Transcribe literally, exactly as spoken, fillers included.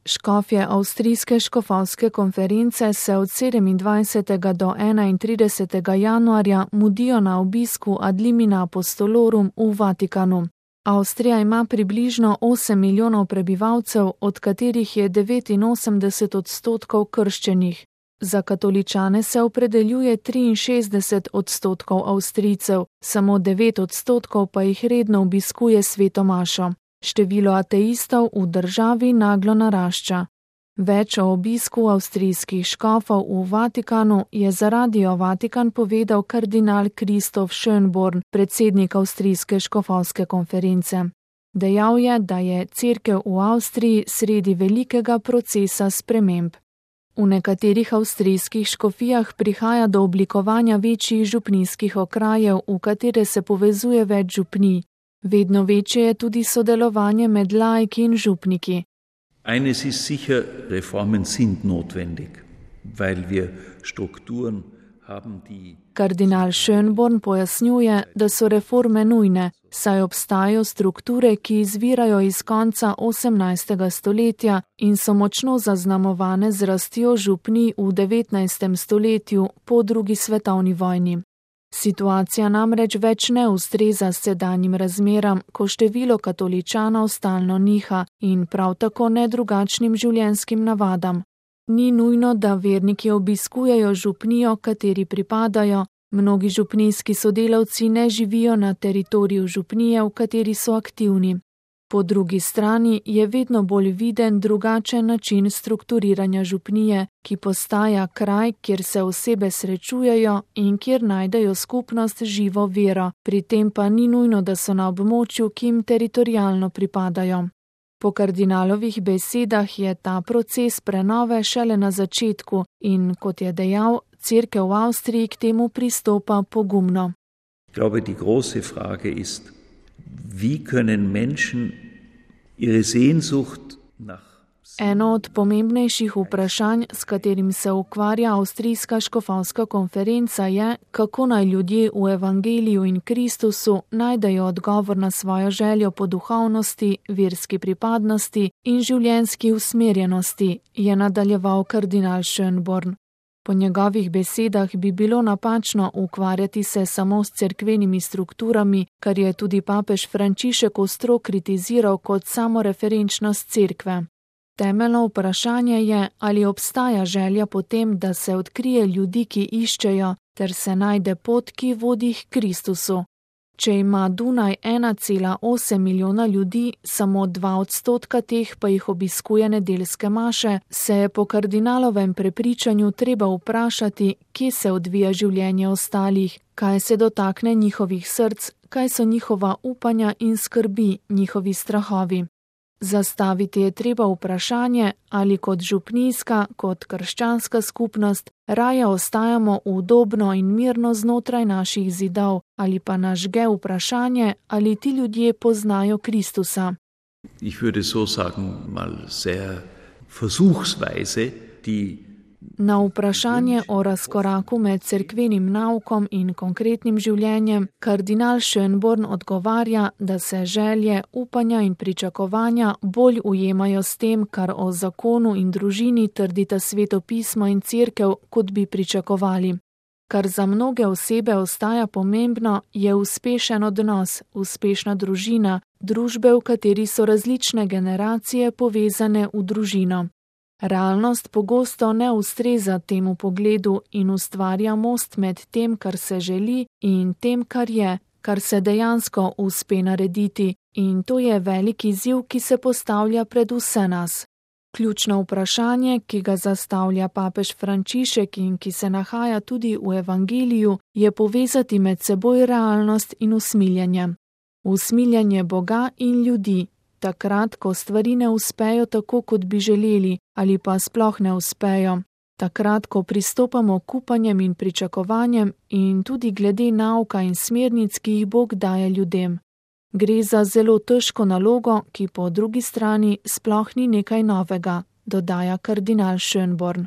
Škofje avstrijske škofovske konference se od sedemindvajsetega do enaintridesetega januarja mudijo na obisku ad limina apostolorum v Vatikanu. Avstrija ima približno osem milijonov prebivalcev, od katerih je devetinosemdeset odstotkov krščenih. Za katoličane se opredeljuje triinšestdeset odstotkov Avstrijcev, samo devet odstotkov pa jih redno obiskuje sveto mašo. Število ateistov v državi naglo narašča. Več o obisku avstrijskih škofov v Vatikanu je za Radio Vatikan povedal kardinal Christoph Schönborn, predsednik avstrijske škofovske konference. Dejal je, da je cerkev v Avstriji sredi velikega procesa sprememb. V nekaterih avstrijskih škofijah prihaja do oblikovanja večjih župnijskih okrajev, v katere se povezuje več župnij. Vedno večje je tudi sodelovanje med laiki in župniki. Eines ist sicher, Reformen sind notwendig, weil wir Strukturen haben, die... Kardinal Schönborn pojasnjuje, da so reforme nujne, saj obstajajo strukture, ki izvirajo iz konca osemnajstega stoletja in so močno zaznamovane z rastjo župnij v devetnajstem stoletju po drugi svetovni vojni. Situacija namreč več ne ustreza sedanjim razmeram, ko število katoličanov stalno niha in prav tako ne drugačnim življenjskim navadam. Ni nujno, da verniki obiskujejo župnijo, kateri pripadajo, mnogi župnijski sodelavci ne živijo na teritoriju župnije, v kateri so aktivni. Po drugi strani je vedno bolj viden drugačen način strukturiranja župnije, ki postaja kraj, kjer se osebe srečujejo in kjer najdejo skupnost živo vero, pri tem pa ni nujno, da so na območju, ki jim teritorialno pripadajo. Po kardinalovih besedah je ta proces prenove šele na začetku in, kot je dejal, cerkev v Avstriji k temu pristopa pogumno. Ich glaube, die große Frage ist, wie können Menschen ihre Sehnsucht nach... Eno od pomembnejših vprašanj, s katerim se ukvarja avstrijska škofovska konferenca, je, kako naj ljudje v Evangeliju in Kristusu najdejo odgovor na svojo željo po duhovnosti, verski pripadnosti in življenjski usmerjenosti, je nadaljeval kardinal Schönborn. Po njegovih besedah bi bilo napačno ukvarjati se samo s cerkvenimi strukturami, kar je tudi papež Frančišek ostro kritiziral kot samoreferenčnost cerkve. Temeljno vprašanje je, ali obstaja želja po tem, da se odkrije ljudi, ki iščejo, ter se najde pot, ki vodi k Kristusu. Če ima Dunaj ena cela osem milijona ljudi, samo dva odstotka teh pa jih obiskuje nedeljske maše, se je po kardinalovem prepričanju treba vprašati, kje se odvija življenje ostalih, kaj se dotakne njihovih src, kaj so njihova upanja in skrbi, njihovi strahovi. Zastaviti je treba vprašanje, ali kot župnijska, kot krščanska skupnost raje ostajamo udobno in mirno znotraj naših zidov, ali pa nas žge vprašanje, ali ti ljudje poznajo Kristusa. Ich würde so sagen, mal sehr versuchsweise, die Na vprašanje o razkoraku med cerkvenim naukom in konkretnim življenjem, kardinal Schönborn odgovarja, da se želje, upanja in pričakovanja bolj ujemajo s tem, kar o zakonu in družini trdita Sveto pismo in cerkev, kot bi pričakovali. Kar za mnoge osebe ostaja pomembno, je uspešen odnos, uspešna družina, družbe, v kateri so različne generacije povezane v družino. Realnost pogosto ne ustreza temu pogledu in ustvarja most med tem, kar se želi, in tem, kar je, kar se dejansko uspe narediti, in to je velik izziv, ki se postavlja pred vse nas. Ključno vprašanje, ki ga zastavlja papež Frančišek in ki se nahaja tudi v Evangeliju, je povezati med seboj realnost in usmiljenje. Usmiljenje Boga in ljudi. Takrat, ko stvari ne uspejo tako, kot bi želeli, ali pa sploh ne uspejo. Takrat, ko pristopamo k upanjem in pričakovanjem in tudi glede nauka in smernic, ki jih Bog daje ljudem. Gre za zelo težko nalogo, ki po drugi strani sploh ni nekaj novega, dodaja kardinal Schönborn.